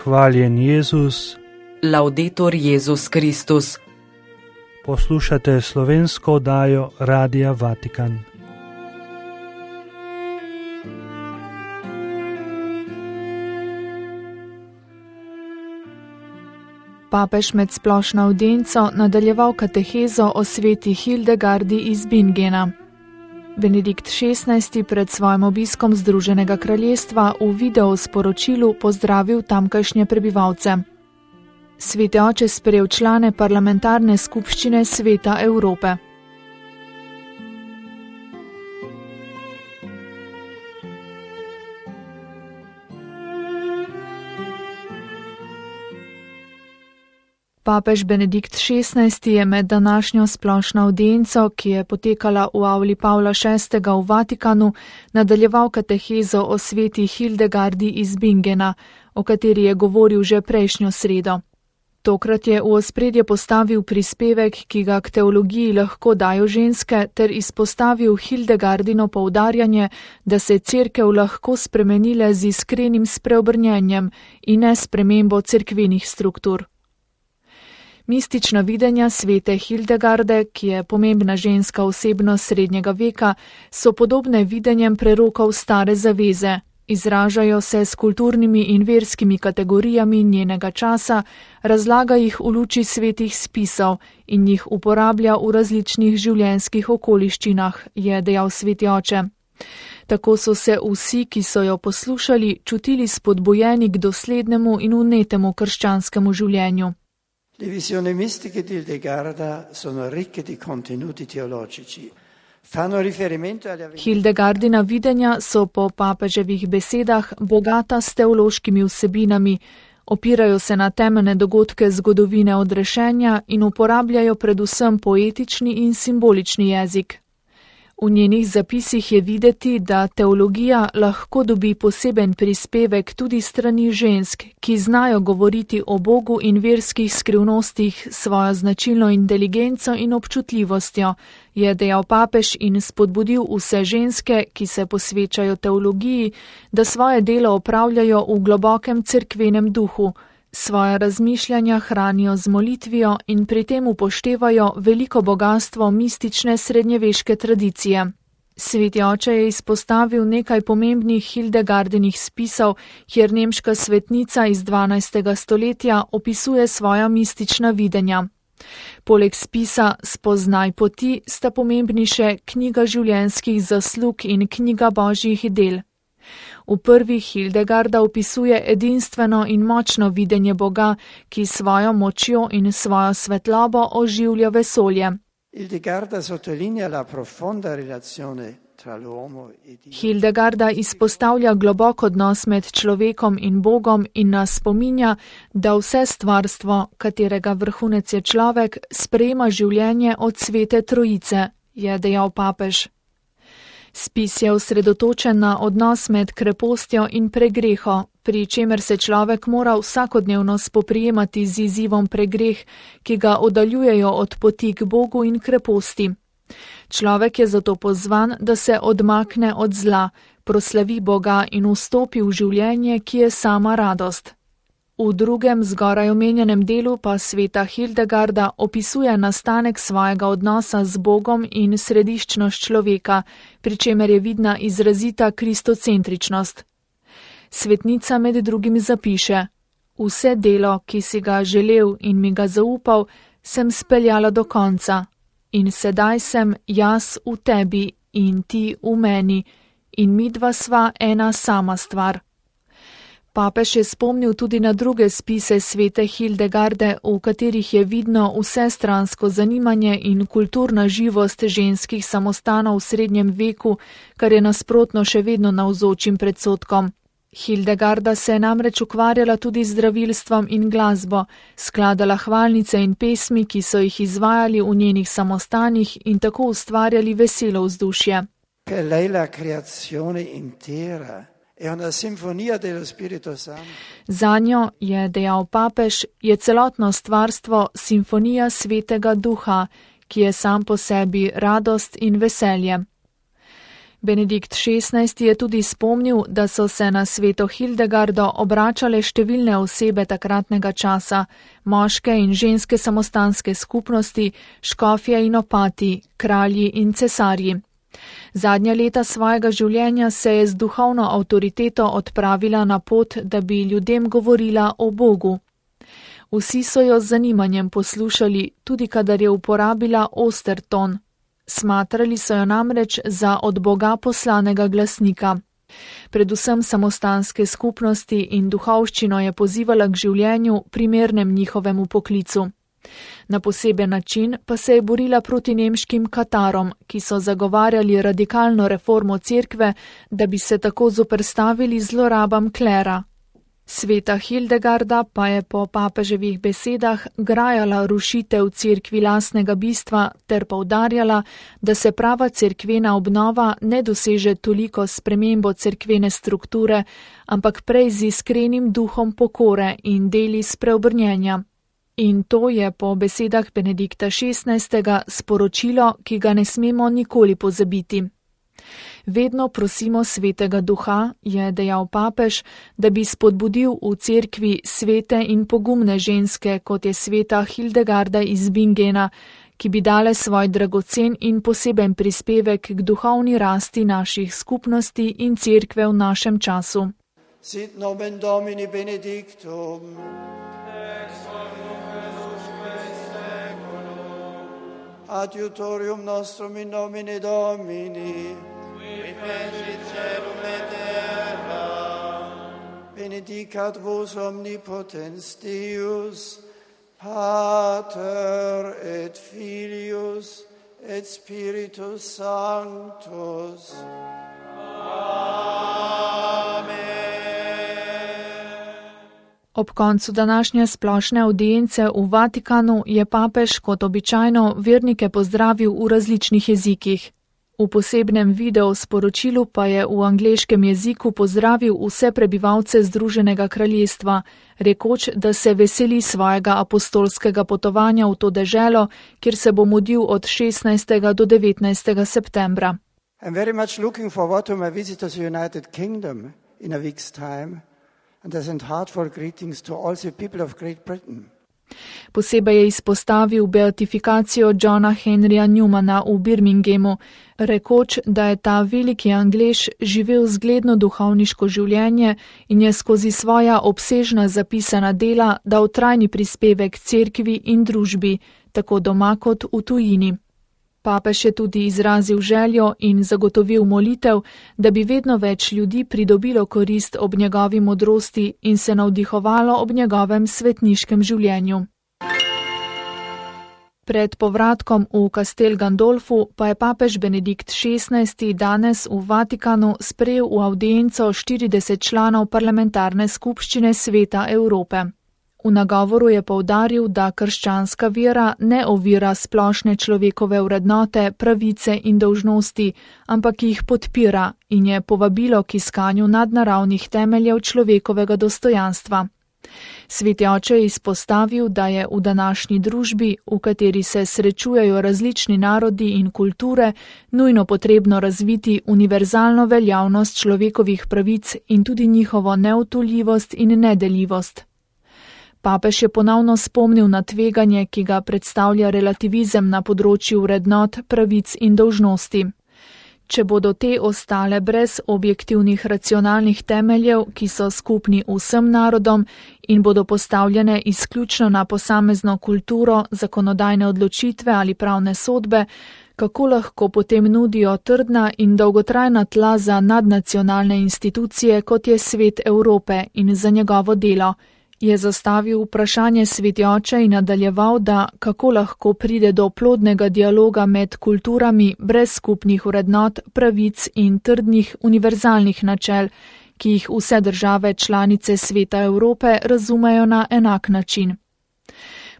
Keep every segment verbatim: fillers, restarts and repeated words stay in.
Hvaljen Jezus. Laudetur Jezus Kristus. Poslušate slovensko oddajo Radia Vatikan. Papež med splošno avdienco nadaljeval katehezo o sveti Hildegardi iz Bingena. Benedikt šestnajsti pred svojim obiskom Združenega kraljestva v video sporočilu pozdravil tamkajšnje prebivalce. Sveti oče sprejel člane parlamentarne skupščine Sveta Evrope. Papež Benedikt šestnajsti je med današnjo splošno avdienco, ki je potekala v avli Pavla šestega v Vatikanu, nadaljeval katehezo o sveti Hildegardi iz Bingena, o kateri je govoril že prejšnjo sredo. Tokrat je v ospredje postavil prispevek, ki ga k teologiji lahko dajo ženske, ter izpostavil Hildegardino poudarjanje, da se cerkev lahko spremenile z iskrenim spreobrnjenjem in ne spremembo cerkvenih struktur. Mistična videnja svete Hildegarde, ki je pomembna ženska osebnost srednjega veka, so podobne videnjem prerokov stare zaveze, izražajo se s kulturnimi in verskimi kategorijami njenega časa, razlaga jih v luči svetih spisov in jih uporablja v različnih življenjskih okoliščinah, je dejal sveti oče. Tako so se vsi, ki so jo poslušali, čutili spodbujeni k doslednemu in vnetemu krščanskemu življenju. Le visioni mistiche di Hildegarda sono ricche di contenuti teologici. Fanno riferimento alle Hildegardina videnja so po papeževih besedah bogata s teološkimi vsebinami, opirajo se na temeljne dogodke zgodovine odrešenja in uporabljajo predvsem poetični in simbolični jezik. V njenih zapisih je videti, da teologija lahko dobi poseben prispevek tudi strani žensk, ki znajo govoriti o Bogu in verskih skrivnostih s svojo značilno inteligenco in občutljivostjo, je dejal papež in spodbudil vse ženske, ki se posvečajo teologiji, da svoje delo opravljajo v globokem cerkvenem duhu, svoje razmišljanja hranijo z molitvijo in pri tem upoštevajo veliko bogastvo mistične srednjeveške tradicije. Sveti oče je izpostavil nekaj pomembnih Hildegardinih spisov, kjer nemška svetnica iz dvanajstega stoletja opisuje svoja mistična videnja. Poleg spisa Spoznaj poti sta pomembni še knjiga življenjskih zaslug in knjiga božjih del. V prvi Hildegarda opisuje edinstveno in močno videnje Boga, ki svojo močjo in svojo svetlobo oživlja vesolje. Hildegarda sottolinea la profonda relazione tra l'uomo e Dio. Hildegarda izpostavlja globok odnos med človekom in Bogom in nas spominja, da vse stvarstvo, katerega vrhunec je človek, sprejema življenje od svete trojice, je dejal papež. Spis je osredotočen na odnos med krepostjo in pregreho, pri čemer se človek mora vsakodnevno spoprijemati z izzivom pregreh, ki ga oddaljujejo od poti k Bogu in kreposti. Človek je zato pozvan, da se odmakne od zla, proslavi Boga in vstopi v življenje, ki je sama radost. V drugem zgoraj omenjenem delu pa sveta Hildegarda opisuje nastanek svojega odnosa z Bogom in središčnost človeka, pri čemer je vidna izrazita kristocentričnost. Svetnica med drugim zapiše: Vse delo, ki si ga želel in mi ga zaupal, sem speljala do konca. In sedaj sem jaz v tebi in ti v meni in midva sva ena sama stvar. Papež je spomnil tudi na druge spise svete Hildegarde, v katerih je vidno vsestransko zanimanje in kulturna živost ženskih samostanov v srednjem veku, kar je nasprotno še vedno navzočim predsodkom. Hildegarda se je namreč ukvarjala tudi z zdravilstvom in glasbo, skladala hvalnice in pesmi, ki so jih izvajali v njenih samostanih in tako ustvarjali veselo vzdušje. Per lei la creazione intera è una sinfonia dello Spirito Santo. Zanjo, je dejal papež, je celotno stvarstvo simfonija svetega duha, ki je sam po sebi radost in veselje. Benedikt šestnajsti je tudi spomnil, da so se na sveto Hildegardo obračale številne osebe takratnega časa, moške in ženske samostanske skupnosti, škofje in opati, kralji in cesarji. Zadnja leta svojega življenja se je z duhovno avtoriteto odpravila na pot, da bi ljudem govorila o Bogu. Vsi so jo z zanimanjem poslušali, tudi kadar je uporabila oster ton. Smatrali so jo namreč za od Boga poslanega glasnika. Predvsem samostanske skupnosti in duhovščino je pozivala k življenju, primernem njihovemu poklicu. Na poseben način pa se je borila proti nemškim katarom, ki so zagovarjali radikalno reformo cerkve, da bi se tako zoperstavili zlorabam klera. Sveta Hildegarda pa je po papeževih besedah grajala rušitev cerkvi lastnega bistva ter poudarjala, da se prava cerkvena obnova ne doseže toliko s spremembo cerkvene strukture, ampak prej z iskrenim duhom pokore in deli spreobrnjenja. In to je po besedah Benedikta šestnajstega sporočilo, ki ga ne smemo nikoli pozabiti. Vedno prosimo svetega duha, je dejal papež, da bi spodbudil v cerkvi svete in pogumne ženske, kot je sveta Hildegarda iz Bingena, ki bi dale svoj dragocen in poseben prispevek k duhovni rasti naših skupnosti in cerkve v našem času. Sit nomen Domini benedictum. Adiutorium nostrum in nomine Domini, qui fecit celum et terra, benedicat vos omnipotens Deus, Pater et Filius et Spiritus Sanctus. Amen. Ob koncu današnje splošne avdience v Vatikanu je papež kot običajno vernike pozdravil v različnih jezikih. V posebnem video sporočilu pa je v angleškem jeziku pozdravil vse prebivalce Združenega kraljestva, rekoč, da se veseli svojega apostolskega potovanja v to deželo, kjer se bo mudil od šestnajstega do devetnajstega septembra. I'm very much looking forward to my visit to the United Kingdom in a week's time. And I send heartfelt greetings to all the people of Great Britain. Posebej je izpostavil beatifikacijo Johna Henryja Newmana v Birminghamu, rekoč, da je ta veliki Anglež živel zgledno duhovniško življenje in je skozi svoja obsežna zapisana dela dal trajni prispevek cerkvi in družbi, tako doma kot v tujini. Papež je tudi izrazil željo in zagotovil molitev, da bi vedno več ljudi pridobilo korist ob njegovi modrosti in se navdihovalo ob njegovem svetniškem življenju. Pred povratkom v Castel Gandolfu pa je papež Benedikt šestnajsti danes v Vatikanu sprejel v avdienco štirideset članov parlamentarne skupščine Sveta Evrope. V nagovoru je poudaril, da krščanska vera ne ovira splošne človekove vrednote, pravice in dolžnosti, ampak jih podpira in je povabilo k iskanju nadnaravnih temeljev človekovega dostojanstva. Sveti oče je izpostavil, da je v današnji družbi, v kateri se srečujejo različni narodi in kulture, nujno potrebno razviti univerzalno veljavnost človekovih pravic in tudi njihovo neodtujljivost in nedeljivost. Papež je ponovno spomnil na tveganje, ki ga predstavlja relativizem na področju vrednot, pravic in dolžnosti. Če bodo te ostale brez objektivnih racionalnih temeljev, ki so skupni vsem narodom in bodo postavljene izključno na posamezno kulturo, zakonodajne odločitve ali pravne sodbe, kako lahko potem nudijo trdna in dolgotrajna tla za nadnacionalne institucije, kot je Svet Evrope in za njegovo delo, je zastavil vprašanje sveti oče in nadaljeval, da kako lahko pride do plodnega dialoga med kulturami brez skupnih vrednot, pravic in trdnih univerzalnih načel, ki jih vse države članice Sveta Evrope razumejo na enak način.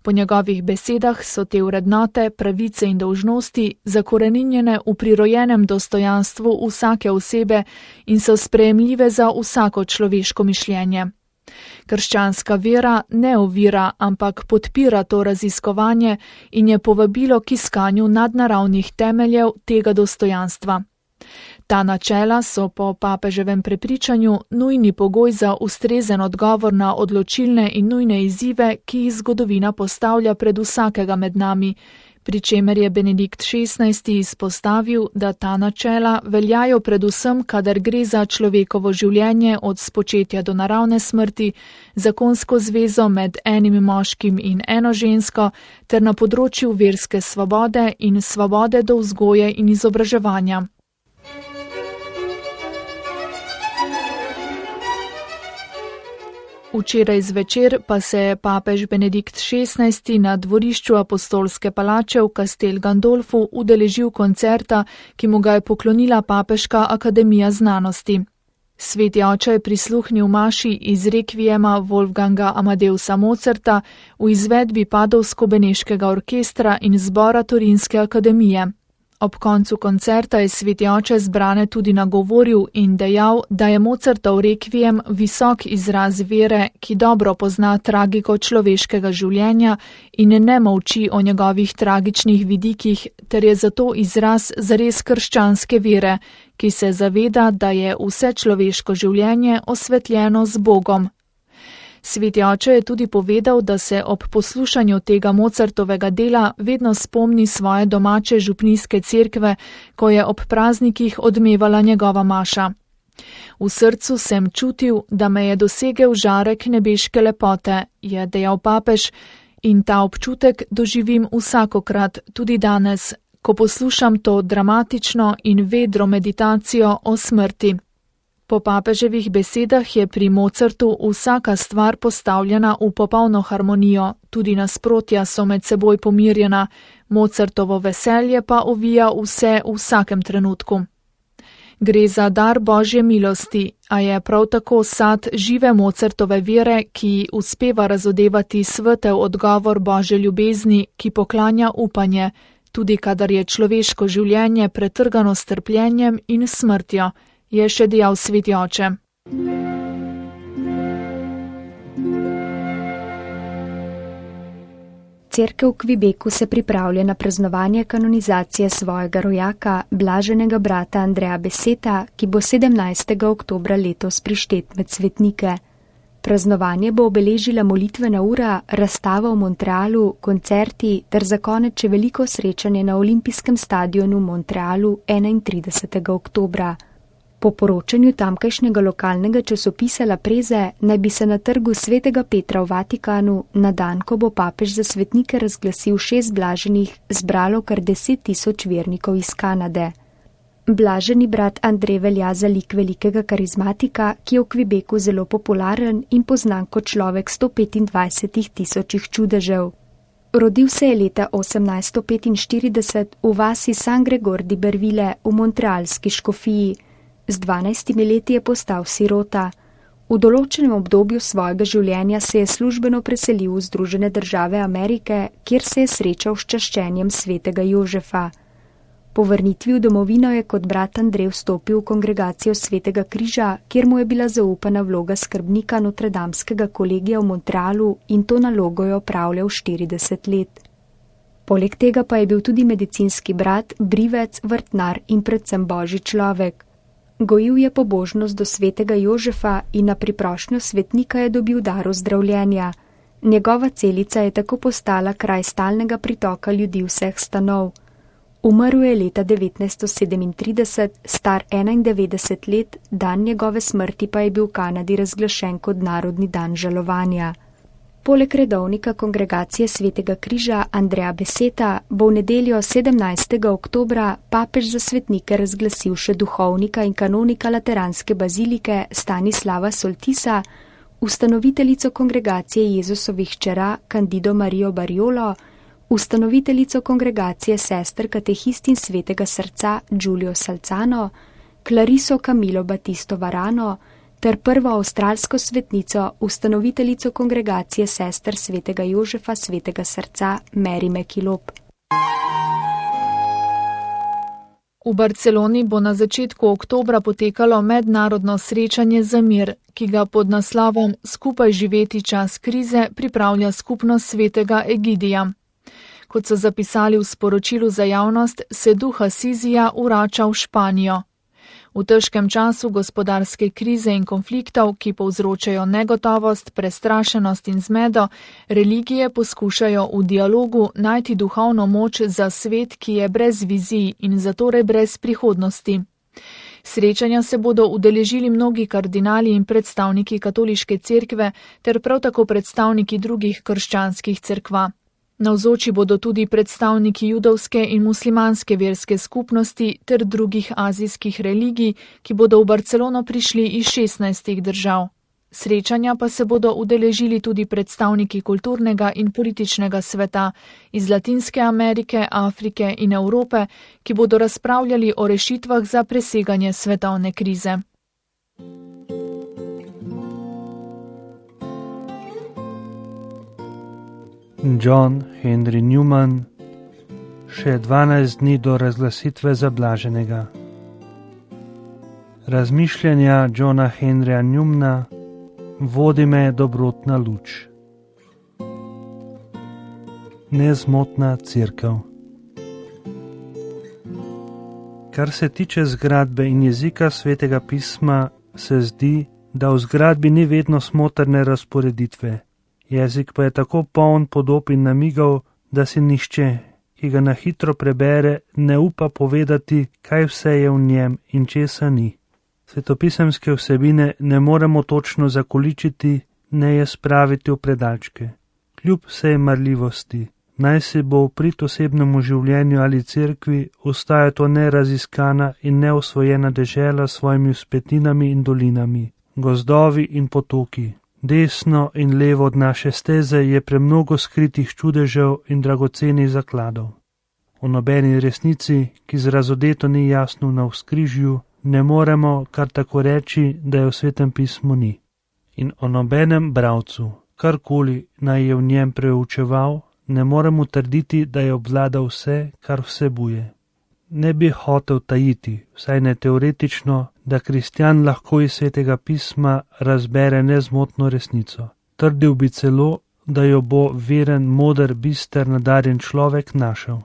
Po njegovih besedah so te vrednote, pravice in dolžnosti zakoreninjene v prirojenem dostojanstvu vsake osebe in so sprejemljive za vsako človeško mišljenje. Krščanska vera ne ovira, ampak podpira to raziskovanje in je povabilo k iskanju nadnaravnih temeljev tega dostojanstva. Ta načela so po papeževem prepričanju nujni pogoj za ustrezen odgovor na odločilne in nujne izzive, ki jih zgodovina postavlja pred vsakega med nami, pri čemer je Benedikt šestnajsti izpostavil, da ta načela veljajo predvsem, kadar gre za človekovo življenje od spočetja do naravne smrti, zakonsko zvezo med enim moškim in eno žensko, ter na področju verske svobode in svobode do vzgoje in izobraževanja. Včeraj zvečer pa se je papež Benedikt šestnajsti na dvorišču apostolske palače v Castel Gandolfu udeležil koncerta, ki mu ga je poklonila Papeška akademija znanosti. Sveti oče je prisluhnil maši iz rekviema Wolfganga Amadeusa Mozarta v izvedbi Padovsko-beneškega orkestra in zbora Torinske akademije. Ob koncu koncerta je sveti oče zbrane tudi nagovoril in dejal, da je Mozartov rekviem visok izraz vere, ki dobro pozna tragiko človeškega življenja in ne molči o njegovih tragičnih vidikih, ter je zato izraz zares krščanske vere, ki se zaveda, da je vse človeško življenje osvetljeno z Bogom. Sveti oče je tudi povedal, da se ob poslušanju tega Mozartovega dela vedno spomni svoje domače župnijske cerkve, ko je ob praznikih odmevala njegova maša. V srcu sem čutil, da me je dosegel žarek nebeške lepote, je dejal papež, in ta občutek doživim vsakokrat, tudi danes, ko poslušam to dramatično in vedro meditacijo o smrti. Po papeževih besedah je pri Mozartu vsaka stvar postavljena v popolno harmonijo, tudi nasprotja so med seboj pomirjena, Mozartovo veselje pa ovija vse v vsakem trenutku. Gre za dar Božje milosti, a je prav tako sad žive Mozartove vere, ki uspeva razodevati svetel odgovor Božje ljubezni, ki poklanja upanje, tudi kadar je človeško življenje pretrgano s trpljenjem in smrtjo, je še dejal sveti oče. Cerkev v Quebecu se pripravlja na praznovanje kanonizacije svojega rojaka, blaženega brata Andreja Beseta, ki bo sedemnajstega oktobra letos prištet med svetnike. Praznovanje bo obeležila molitvena ura, razstava v Montrealu, koncerti ter za konec še veliko srečanje na olimpijskem stadionu v Montrealu enaintridesetega oktobra. Po poročanju tamkajšnjega lokalnega časopisa La Preze naj bi se na trgu Svetega Petra v Vatikanu na dan, ko bo papež za svetnike razglasil šest blaženih, zbralo kar deset tisoč vernikov iz Kanade. Blaženi brat Andrej velja za lik velikega karizmatika, ki je v Quebecu zelo popularen in poznan kot človek sto petindvajset tisočih čudežev. Rodil se je leta osemnajststo petinštirideset v vasi San Gregor di Berville v montrealski škofiji. Z dvanajstimi leti je postal sirota. V določenem obdobju svojega življenja se je službeno preselil v Združene države Amerike, kjer se je srečal s čaščenjem svetega Jožefa. Po vrnitvi v domovino je kot brat Andrej vstopil v kongregacijo Svetega križa, kjer mu je bila zaupana vloga skrbnika Notredamskega kolegija v Montrealu in to nalogo je opravljal štirideset let. Poleg tega pa je bil tudi medicinski brat, brivec, vrtnar in predvsem božji človek. Gojil je pobožnost do svetega Jožefa in na priprošnjo svetnika je dobil dar ozdravljenja. Njegova celica je tako postala kraj stalnega pritoka ljudi vseh stanov. Umrl je leta devetnajststo sedemintrideset, star enaindevetdeset let, dan njegove smrti pa je bil v Kanadi razglašen kot narodni dan žalovanja. Poleg redovnika kongregacije Svetega križa Andreja Beseta bo v nedeljo sedemnajstega oktobra papež za svetnike razglasil še duhovnika in kanonika lateranske bazilike Stanislava Soltisa, ustanoviteljico kongregacije Jezusovih hčera Candido Marijo Bariolo, ustanoviteljico kongregacije sester katehistin Svetega srca Giulio Salzano, Clariso Camilo Batisto Varano, ter prvo avstralsko svetnico, ustanoviteljico kongregacije sester Svetega Jožefa Svetega srca Mary McKillop. V Barceloni bo na začetku oktobra potekalo mednarodno srečanje za mir, ki ga pod naslovom Skupaj živeti čas krize pripravlja skupnost Svetega Egidija. Kot so zapisali v sporočilu za javnost, se duh Asizija vrača v Španijo. V težkem času gospodarske krize in konfliktov, ki povzročajo negotovost, prestrašenost in zmedo, religije poskušajo v dialogu najti duhovno moč za svet, ki je brez vizij in zatorej brez prihodnosti. Srečanja se bodo udeležili mnogi kardinali in predstavniki katoliške cerkve ter prav tako predstavniki drugih krščanskih cerkva. Navzoči bodo tudi predstavniki judovske in muslimanske verske skupnosti ter drugih azijskih religij, ki bodo v Barcelono prišli iz šestnajstih držav. Srečanja pa se bodo udeležili tudi predstavniki kulturnega in političnega sveta iz Latinske Amerike, Afrike in Evrope, ki bodo razpravljali o rešitvah za preseganje svetovne krize. John Henry Newman, še dvanajst dni do razglasitve za blaženega. Razmišljanja Johna Henryja Newmana, vodi me dobrotna luč. Nezmotna cerkev. Kar se tiče zgradbe in jezika Svetega pisma, se zdi, da v zgradbi ni vedno smotrne razporeditve. Jezik pa je tako poln podob in namigov, da si nihče, ki ga na hitro prebere, ne upa povedati, kaj vse je v njem in česa ni. Svetopisemske vsebine ne moremo točno zakoličiti, ne je spraviti v predalčke. Kljub vsej marljivosti, naj si bo v prid osebnemu življenju ali cerkvi, ostaja to neraziskana in neosvojena dežela s svojimi vzpetinami in dolinami, gozdovi in potoki. Desno in levo od naše steze je premnogo skritih čudežev in dragocenih zakladov. O nobeni resnici, ki z razodeto ni jasno na vzkrižju, ne moremo kar tako reči, da je v Svetem pismu ni. In o nobenem bralcu, karkoli naj je v njem preučeval, ne moremo trditi, da je obvladal vse, kar vsebuje. Ne bi hotel tajiti, vsaj ne teoretično, da kristjan lahko iz Svetega pisma razbere nezmotno resnico. Trdil bi celo, da jo bo veren, moder, bister, nadarjen človek našel.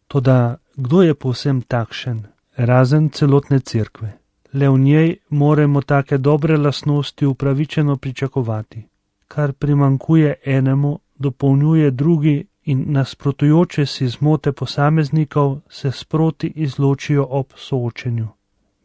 Toda kdo je povsem takšen, razen celotne cerkve? Le v njej moramo take dobre lastnosti upravičeno pričakovati. Kar primankuje enemu, dopolnjuje drugi in nasprotujoče si zmote posameznikov se sproti izločijo ob soočenju.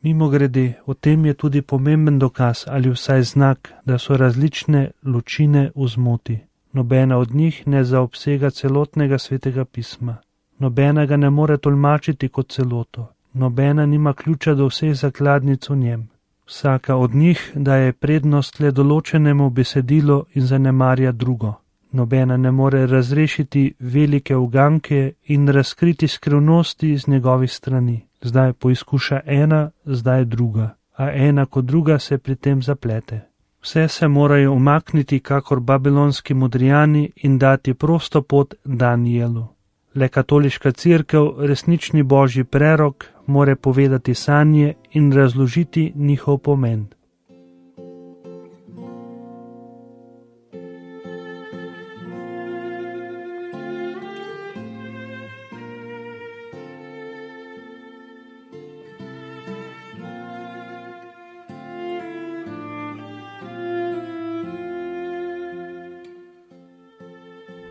Mimogrede, v tem je tudi pomemben dokaz ali vsaj znak, da so različne ločine v zmoti. Nobena od njih ne zaobsega celotnega Svetega pisma. Nobena ga ne more tolmačiti kot celoto. Nobena nima ključa do vseh zakladnic v njem. Vsaka od njih daje prednost le določenemu besedilu in zanemarja drugo. Nobena ne more razrešiti velike uganke in razkriti skrivnosti iz njegovih strani. Zdaj poizkuša ena, zdaj druga, a ena kot druga se pri tem zaplete. Vse se morajo umakniti kakor babilonski modrijani in dati prosto pot Danijelu. Le katoliška cerkev, resnični božji prerok, more povedati sanje in razložiti njihov pomen.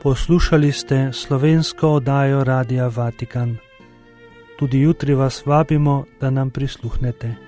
Poslušali ste slovensko oddajo Radia Vatikan. Tudi jutri vas vabimo, da nam prisluhnete.